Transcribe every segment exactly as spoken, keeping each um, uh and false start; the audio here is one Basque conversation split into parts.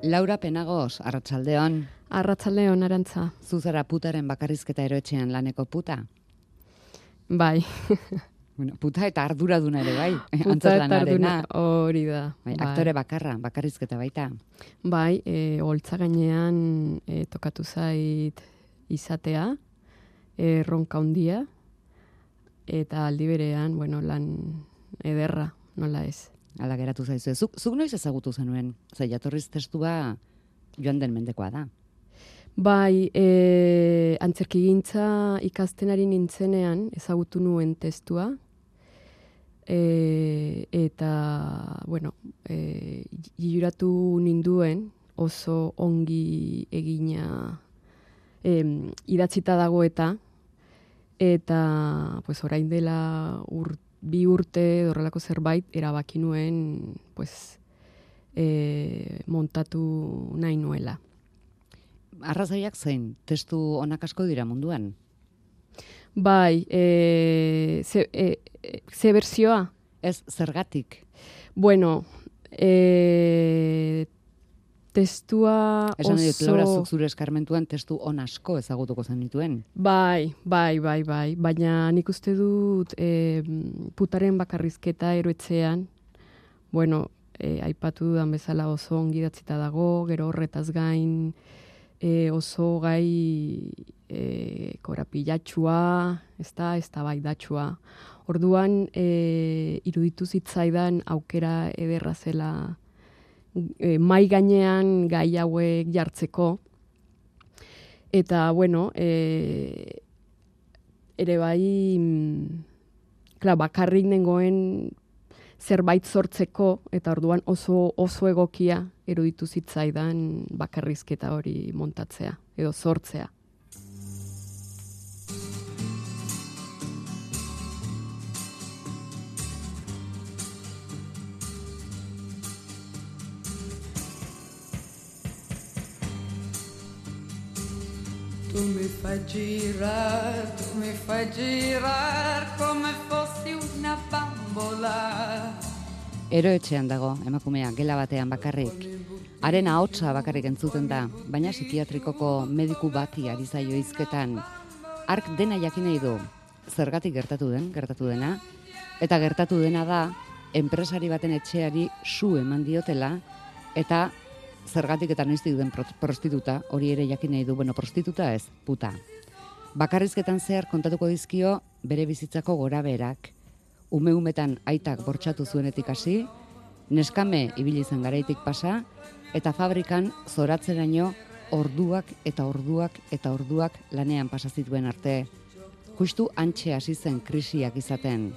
Laura Penagos, arratsaldeon. Arratsaldeon, Arantza. Zu zara putaren bakarrizketa eroetxean laneko puta? Bai. Bueno, puta eta arduraduna ere bai. Puta eta arduna, hori da. Bai, aktore bakarra, bakarrizketa baita. Bai, e, holtza gainean e, tokatu zait izatea, erronka handia, eta aldi berean, bueno, lan ederra, nola ez. Hala geratu zaizu. Zuk, zuk noiz ezagutu zenuen? Zer, jatorriz testua joan den mendekoa da. Bai, e, antzerkigintza ikasten ari nintzenean ezagutu nuen testua. E, eta, bueno, e, juratu ninduen oso ongi egina e, idatzita dago eta eta pues, orain dela ur, bi urte horrelako zerbait erabaki nuen pues, e, montatu nahi nuela. Arrazoiak zein, testu onak asko dira munduan? Bai, e, ze, e, ze berzioa? Ez, zergatik? Bueno, e, testua oso... Esan dut, Laura, zuk zure eskarmentuan testu on asko ezagutuko zenituen? Bai, bai, bai, bai, baina nik uste dut e, putaren bakarrizketa eroetxean, bueno, e, aipatu dudan bezala oso ongi idatzita dago, gero horretaz gain, E, oso gai e, korapilatxua, ez da, ez da bai datxua. Orduan, e, iruditu zitzaidan aukera ederra zela e, mai gainean gai hauek jartzeko. Eta, bueno, e, ere bai, klar, bakarrik nengoen zerbait sortzeko, eta orduan oso oso egokia eruditu zitzaidan bakarrizketa hori montatzea, edo sortzea. Tu mi fai girar, tu mi fai girar come fossi una bambola. Eroetxean dago, emakumea, gela batean bakarrik. Haren ahotsa bakarrik entzuten da, baina psikiatrikoko mediku bati ari zaio hizketan. Hark dena jakin nahi du, zergatik gertatu den, gertatu dena, eta gertatu dena da, enpresari baten etxeari su eman diotela, eta zergatik eta noiztik den prostituta, hori ere jakin nahi du, bueno, prostituta ez, puta. Bakarrizketan zehar kontatuko dizkio bere bizitzako gorabeherak. Ume-umetan aitak bortxatu zuenetik hasi, neskame ibili zen garaitik pasa, eta fabrikan zoratzeraino orduak eta orduak eta orduak lanean pasa zituen arte. Justu hantxe hasi zen krisiak izaten.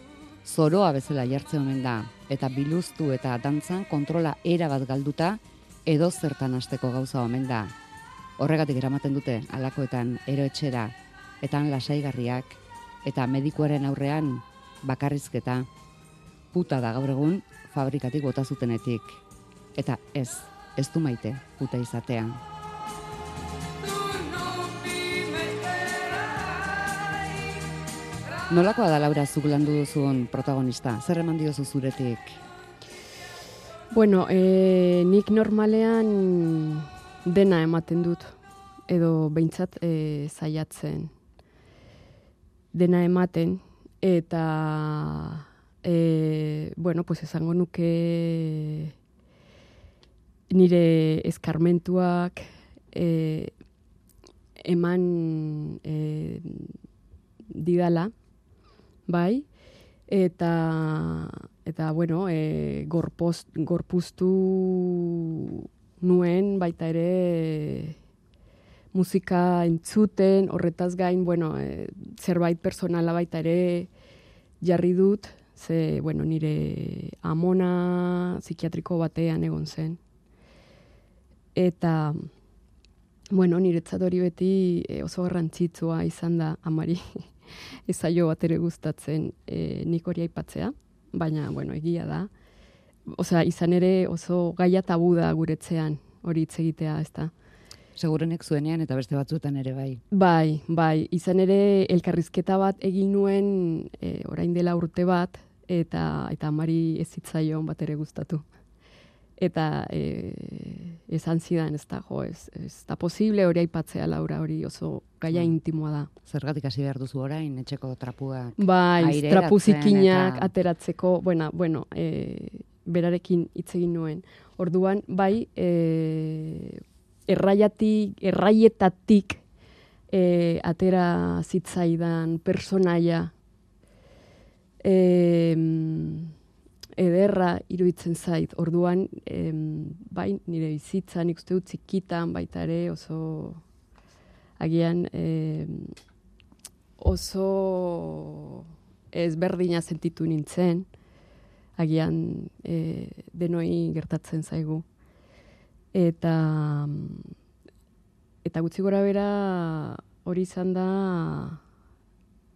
Zoroa bezala jartze omen da, eta biluztu eta dantzan kontrola erabat galduta, edo zertan hasteko gauza omen da. Horregatik eramaten dute halakoetan eroetxera, eta lasaigarriak, eta medikuaren aurrean bakarrizketa, puta da gaur egun fabrikatik bota zutenetik. Eta ez, ez du maite puta izatea. Nolakoa da, Laura, zuk landu duzun protagonista? Zer eman diozu zuretik? Bueno, e, nik normalean dena ematen dut, edo behintzat e, zaiatzen dena ematen, eta e, bueno, pues esango nuke nire eskarmentuak e, eman e, didala, bai, eta eta bueno, e, gorpoz, gorpuztu nuen baita ere musika entzuten, horretaz gain, bueno, e, zerbait personala baita ere jarri dut, ze, bueno, nire amona psikiatriko batean egon zen. Eta, bueno, niretzat hori beti e, oso garrantzitsua izan da amari ezaio bat ere gustatzen e, nik hori aipatzea, baina, bueno, egia da. Osea, izan ere oso gaia tabu da guretzean hori hitz egitea, ez da. Segurenek zuenean eta beste batzuetan ere bai. Bai, bai, izan ere elkarrizketa bat egin nuen e, orain dela urte bat, eta eta amari ez zitzaion bat ere gustatu. eta e, esan zidan ez da, jo, ez, ez da posible hori aipatzea, Laura, hori oso gaia intimoa da. Zergatik hasi behar duzu orain, etxeko trapuak bai, aireratzen trapu zikinak eta... ateratzeko, bueno, bueno e, berarekin hitz egin nuen. Orduan, bai, e, erraiatik, erraietatik e, atera zitzaidan personaia e, ederra iruditzen zait. Orduan, em, bai, nire bizitza, nik uste dut txikitan baita ere oso agian em, oso ezberdina sentitu nintzen, agian e, denoi gertatzen zaigu. Eta eta gutxi gora bera hori izan da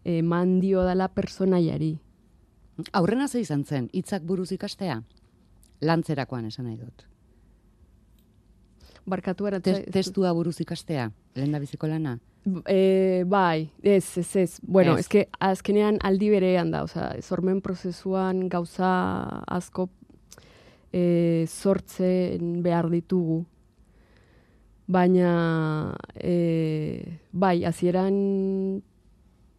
eman dio dala personaiari. Aurrena ze izan zen, hitzak buruz ikastea? Lantzerakoan esan nahi dut. Barkatu eratza... Te, testua buruz ikastea, lehen da biziko lana? E, bai, ez, ez, ez. Bueno, ez. Ez que azkenean aldi berean da, oza, sormen prozesuan gauza asko e, sortzen behar ditugu. Baina, e, bai, hasieran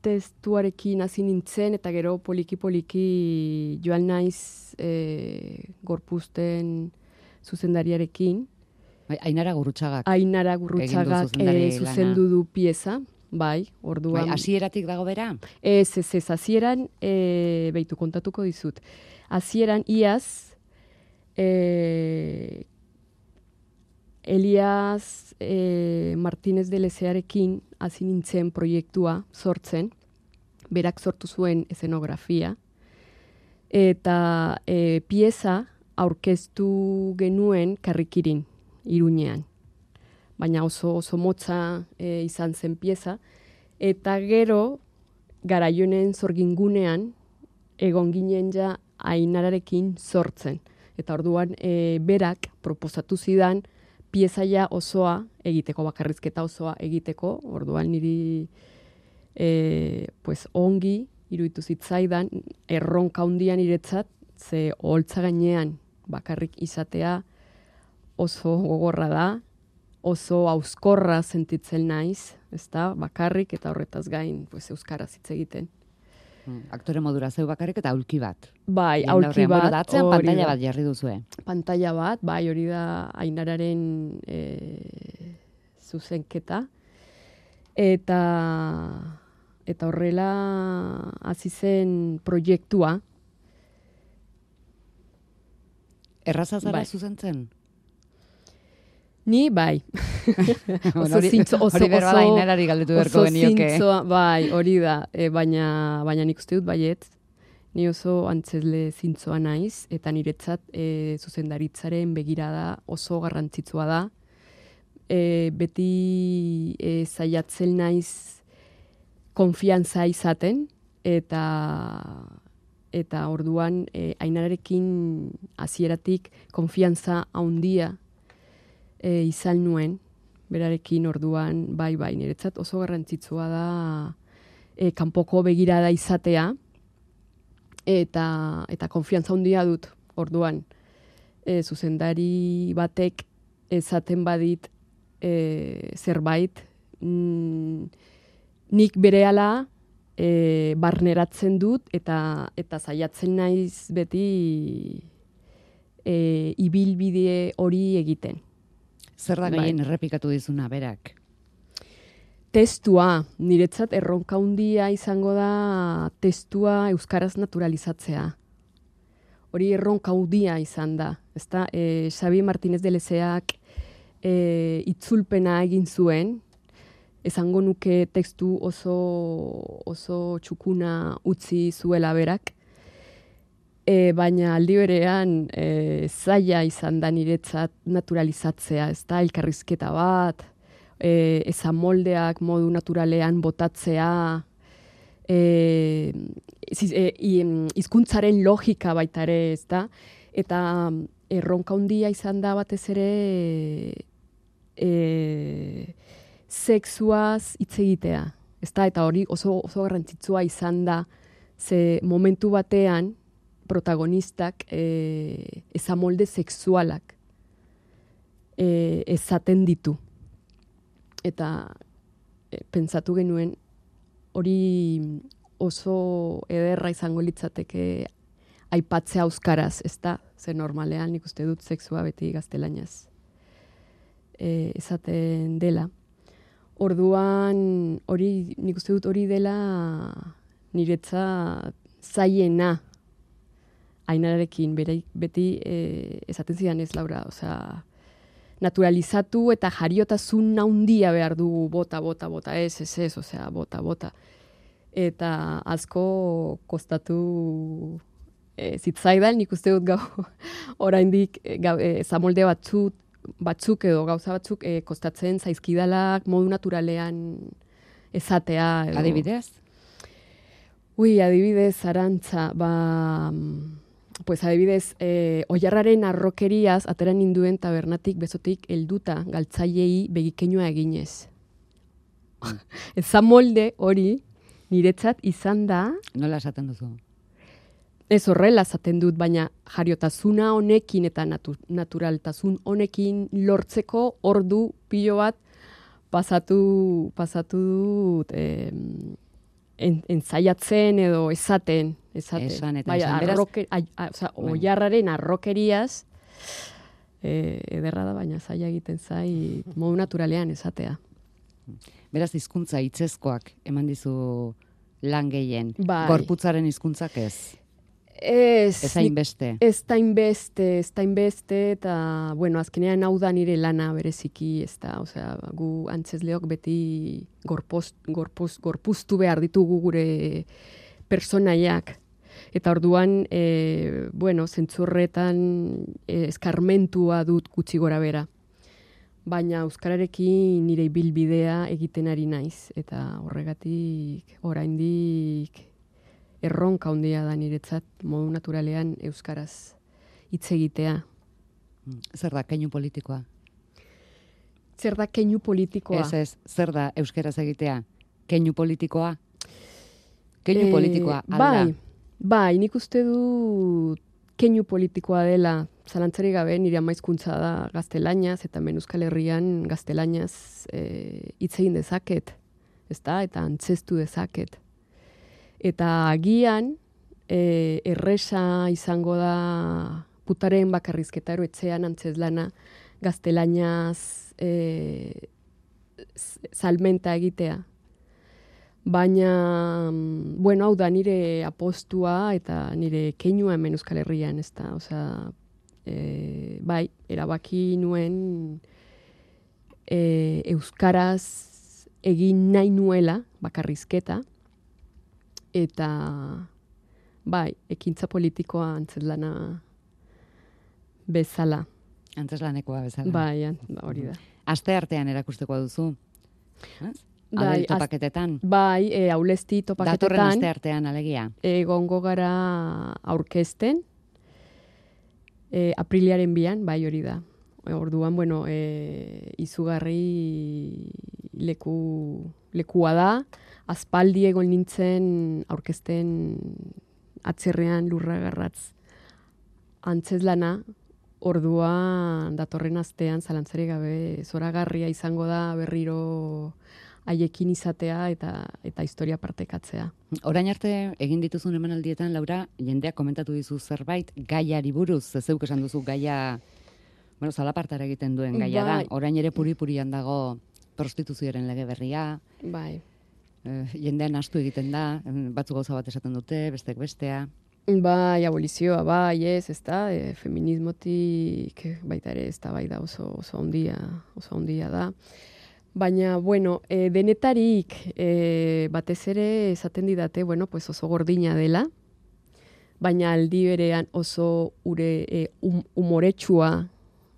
testuarekin hasi nintzen, eta gero poliki-poliki joan naiz e, gorpuzten zuzendariarekin. Bai, Ainara Gurrutxagak. Ainara Gurrutxagak e, zuzendu du pieza, bai, orduan. Bai, hasieratik dago bera? Ez, ez, ez, hasieran, e, behitu kontatuko dizut. Hasieran, iaz, e, Elias e, Martínez de Lezearekin hasi nintzen proiektua sortzen, berak sortu zuen eszenografia, eta e, pieza aurkeztu genuen Karrikirin, Iruñean. Baina oso oso motza e, izan zen pieza, eta gero Garaionen zorgingunean egon ginen ja Ainararekin sortzen. Eta orduan e, berak proposatu zidan piezaia osoa egiteko, bakarrizketa osoa egiteko, orduan niri e, pues, ongi iruditu zitzaidan, erronka handian niretzat, ze oholtza gainean bakarrik izatea oso gogorra da, oso hauskorra sentitzen naiz, ezta, bakarrik eta horretaz gain pues, euskaraz hitz egiten. Aktore modura zeu bakarrik eta aulki bat. Bai, aulki bat. Bueno, atzean pantalla bat jarri duzue. Pantalla bat, bai, hori da Ainararen e, zuzenketa. Eta, eta horrela hasi zen proiektua. Erraza zara bai. zuzentzen? Ni, bai. oso zintzo, oso, hori berba da Ainarari galdetu beharko genioke. Oso zintzoa, bai, hori da. E, baina, baina nik uste dut baiet, ni oso antzesle zintzoa naiz, eta niretzat e, zuzendaritzaren begirada oso garrantzitsua da. E, beti e, zaiatzen naiz konfiantza izaten, eta eta orduan e, Ainararekin hasieratik konfiantza handia E, izan nuen, berarekin orduan, bai, bai, niretzat oso garrantzitsua da e, kanpoko begirada izatea, eta, eta konfiantza handia dut, orduan, e, zuzendari batek esaten badit e, zerbait, mm, nik berehala e, barneratzen dut, eta, eta saiatzen naiz beti e, ibilbide hori egiten. Zer da gehien errepikatu dizuna, berak? Testua, niretzat erronka handia izango da testua euskaraz naturalizatzea. Hori erronka handia izan da. Ezta, e, Xabi Martínez de Lezeak e, itzulpena egin zuen, esango nuke testu oso, oso txukuna utzi zuela berak, E, baina aldi berean e, zaila izan da niretzat naturalizatzea, ez da, elkarrizketa bat, e, ezan moldeak modu naturalean botatzea, e, e, hizkuntzaren logika baita ere, ez da, eta erronka handia izan da batez ere e, sexuaz hitz egitea, ez da, eta hori oso, oso garrantzitsua izan da, ze momentu batean, protagonistak e, ezamolde sexualak e, ezaten ditu. Eta e, pentsatu genuen hori oso ederra izango litzateke aipatzea euskaraz, ez da? Ze normalean nik uste dut sexua beti gaztelaniaz e, esaten dela. Orduan hori nik uste dut hori dela niretza zaiena Ainararekin beti e, esaten zidan ez, Laura, osea, naturalizatu eta jariotasun handia behar dugu bota, bota, bota, ez, ez, ez, osea, bota, bota. Eta asko kostatu e, zitzaidan, nik uste dut gau, oraindik e, zamolde batzuk, batzuk edo gauza batzuk e, kostatzen zaizkidalak modu naturalean esatea. Edo. Adibidez? Ui, adibidez, Arantza, ba... Pues adibidez, eh, oiarraren arrokeriaz ateran ninduen tabernatik bezotik helduta galtzaileei begikeinua eginez. Mm. Eza molde hori niretzat izan da... Nola esaten duzu? Ez horrela esaten dut, baina jariotasuna honekin eta natu, naturaltasun honekin lortzeko ordu pilo bat pasatu, pasatu dut eh, en, enzaiatzen edo esaten. Esaten. Esan eta bai, esan. Arroke, a, a, oza, oiarraren arrokeriaz eh, ederra da, baina zaila egiten zai modu naturalean esatea. Beraz, hizkuntza hitzezkoak eman dizu lan gehien. Bai. Gorputzaren hizkuntzak ez. Ez, ez hainbeste. Ez da inbeste, ez da inbeste, eta, bueno, azkenean hau da nire lana bereziki, ez da, osea, gu antzezleok beti gorpoz, gorpoz, gorpuztu behar ditugu gure personaiak. Eta orduan, e, bueno, zentzurretan e, eskarmentua dut gutxi gora bera. Baina euskararekin nire ibilbidea egiten ari naiz. Eta horregatik oraindik erronka handia da niretzat modu naturalean euskaraz hitz egitea. Zer da keinu politikoa? Zer da keinu politikoa? Ez ez, zer da euskaraz egitea? Keinu politikoa? Keinu e, politikoa alda? Bai. Bai, nik uste du keinu politikoa dela, zalantzari gabe nire amaizkuntza da gaztelaniaz, eta hemen Euskal Herrian gaztelaniaz hitz e, egin dezaket, ezta? Eta antzestu dezaket. Eta agian e, erresa izango da putaren bakarrizketa eroetzean antzezlana gaztelaniaz e, salmenta egitea. Baina, bueno, hau da nire apostua eta nire keinua hemen Euskal Herrian, ez da, osea, e, bai, erabaki nuen e, euskaraz egin nahi nuela bakarrizketa, eta, bai, ekintza politikoa antzezlana bezala. Antzeslanekoa bezala. Bai, hori da. Aste artean erakusteko duzu, ez? Bai, Adel topaketetan. Bai, e, aulesti topaketetan. Datorren aste artean alegia. Egongo gara aurkezten. E, apriliaren bian, bai hori da. E, orduan, bueno, e, izugarri leku, lekua da. Aspaldi egon nintzen aurkezten atzerrean lurragarratz antzezlana. Orduan datorren astean zalantzari gabe zoragarria izango da berriro haiekin izatea eta eta historia partekatzea. Orain arte egin dituzun emanaldietan, Laura, jendeak komentatu dizu zerbait gaiari buruz, zeuk esan duzu gaia, bueno, zalapartara egiten duen gaia da. Orain ere puri-purian dago prostituzioaren lege berria. Bai. Eh, jendean astu egiten da, batzuk gauza bat esaten dute, bestek bestea. Bai, abolizioa, bai, ez, ez da, e, feminismotik baita ere ez da, bai da oso, oso ondia, oso ondia da. Baina, bueno, e, denetarik e, batez ere esaten didate, bueno, pues oso gordina dela, baina aldi berean oso ure e, um, umoretsua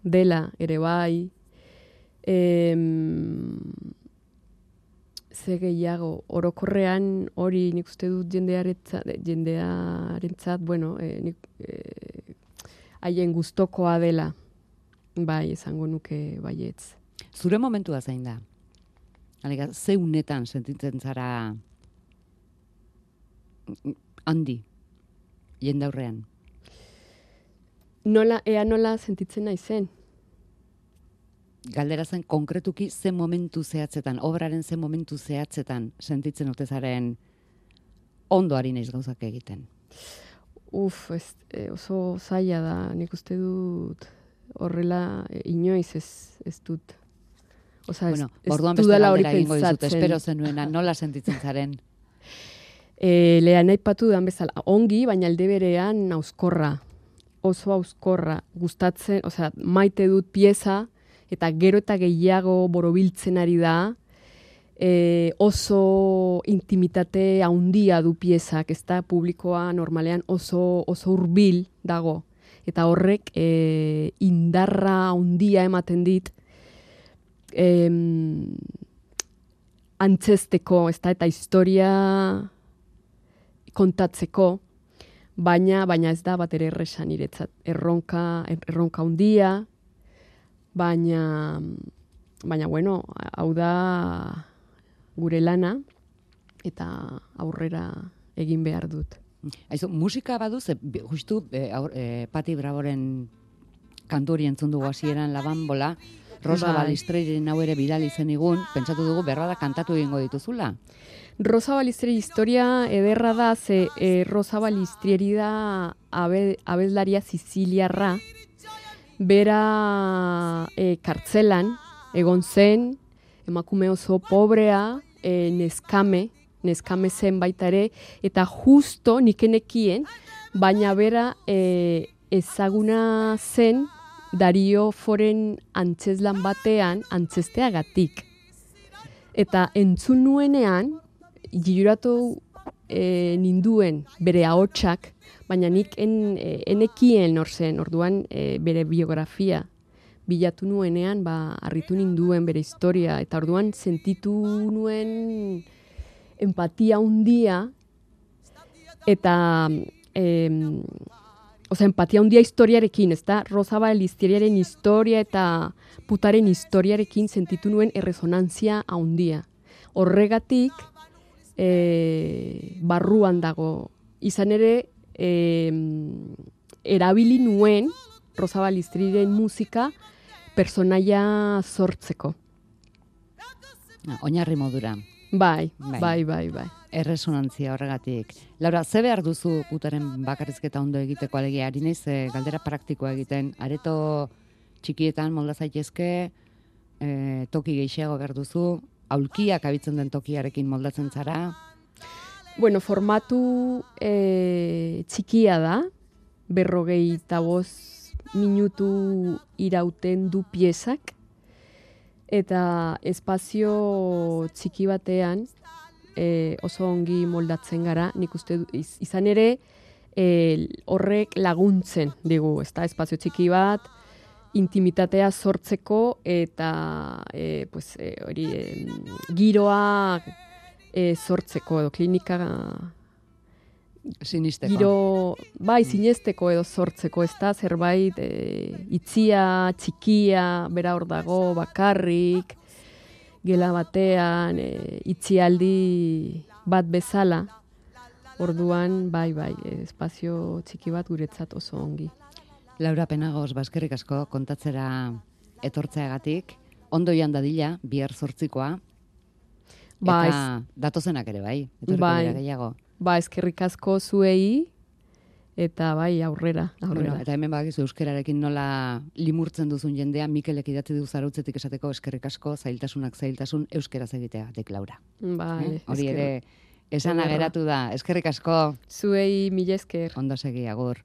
dela ere bai. E, ze gehiago, orokorrean hori nik uste dut jendearentzat, jendearentzat, bueno, e, nik, e, haien gustokoa dela, bai, esango nuke baietz. Zure momentua zein da? Alega, ze unetan sentitzen zara handi, jendaurrean? Nola, ea nola sentitzen naizen? galdera zen konkretuki ze momentu zehatzetan, obraren ze momentu zehatzetan sentitzen ote zaren ondo ari naiz gauzak egiten. Uf, ez, e, oso zaila da, nik uste dut horrela e, inoiz ez, ez dut. Osa, Bueno, ez, orduan ez beste dudala hori galdera egingo dizut, pentsatzen. espero zenuena, nola sentitzen zaren? E, Lehen aipatu dan bezala, ongi, baina alde berean auskorra. Oso auskorra, gustatzen, osea, maite dut pieza, eta gero eta gehiago borobiltzen ari da, e, oso intimitate handia du piezak, ez da publikoa normalean oso, oso hurbil dago. Eta horrek e, indarra handia ematen dit, em, antzesteko, ez da, eta historia kontatzeko, baina baina ez da bat ere erresa niretzat. Erronka, erronka handia, baina, baina bueno, hau da gure lana, eta aurrera egin behar dut. Aizu, musika badu, ze, justu e, aur, e, Pati Bravoren kanturi entzun dugu hasieran Labanbola, Rosa Bai. Balistreiren hau ere bidali zenigun, pentsatu dugu berbada kantatu egingo dituzula. Rosa Balistrieri historia ederra da, ze e, Rosa Balistrieri da abe, abeslaria siciliarra, bera e, kartzelan egon zen, emakume oso pobrea, e, neskame, neskame zen baita ere, eta justo nikenekien, baina bera e, ezaguna zen Dario Foren antzeslan batean antzesteagatik. Eta entzun nuenean, juratu e, ninduen bere ahotsak, baina nik en, e, enekien hor zen, orduan e, bere biografia bilatu nuenean, ba, harritu ninduen bere historia, eta orduan sentitu nuen empatia handia, eta em, Osa, empatia handia historiarekin, ez da? Rosa Balistrieriaren historia eta putaren historiarekin sentitu nuen erresonantzia handia. Horregatik, e, barruan dago. Izan ere, e, erabili nuen Rosa Balistrieren musika personaia sortzeko. Oinarri modura. Bai, Bai. bai, bai, bai. Erresonantzia horregatik. Laura, ze behar duzu putaren bakarrizketa ondo egiteko alegia? Ari naiz, e, galdera praktikoa egiten. Areto txikietan molda zaitezke, e, toki gehiago behar duzu, aulkiak abitzen den tokiarekin moldatzen zara. Bueno, formatu e, txikia da, berrogei eta bost minutu irauten du piezak, eta espazio txiki batean e, oso ongi moldatzen gara, nik uste du, iz, izan ere e, horrek laguntzen digu, ez da, espazio txiki bat, intimitatea sortzeko eta e, pues, e, hori, e, giroa e, sortzeko edo klinika Sinisteko. giro, bai, sinesteko edo sortzeko, ez da, zerbait e, itzia, txikia, bera hor dago, bakarrik, gela batean, e, itzialdi bat bezala, orduan, bai, bai, e, espazio txiki bat guretzat oso ongi. Laura Penagos, baskerrik asko kontatzera etortzeagatik, ondo joan dadila, bihar zortzikoa, Ba, eta ez- datozenak ere bai, etorriko Bai. dira gehiago. Ba, eskerrik asko zuei, eta bai, aurrera, aurrera. Bueno, eta hemen badakizu euskerarekin nola limurtzen duzun jendea, Mikelek idatzi du zarautzetik esateko eskerrik asko, zailtasunak zailtasun euskeraz egitea, dek Laura. Vale, Eh? Hori esker- ere esana Ederra. geratu da, eskerrik asko, Zuei mila esker. ondo segi, agur.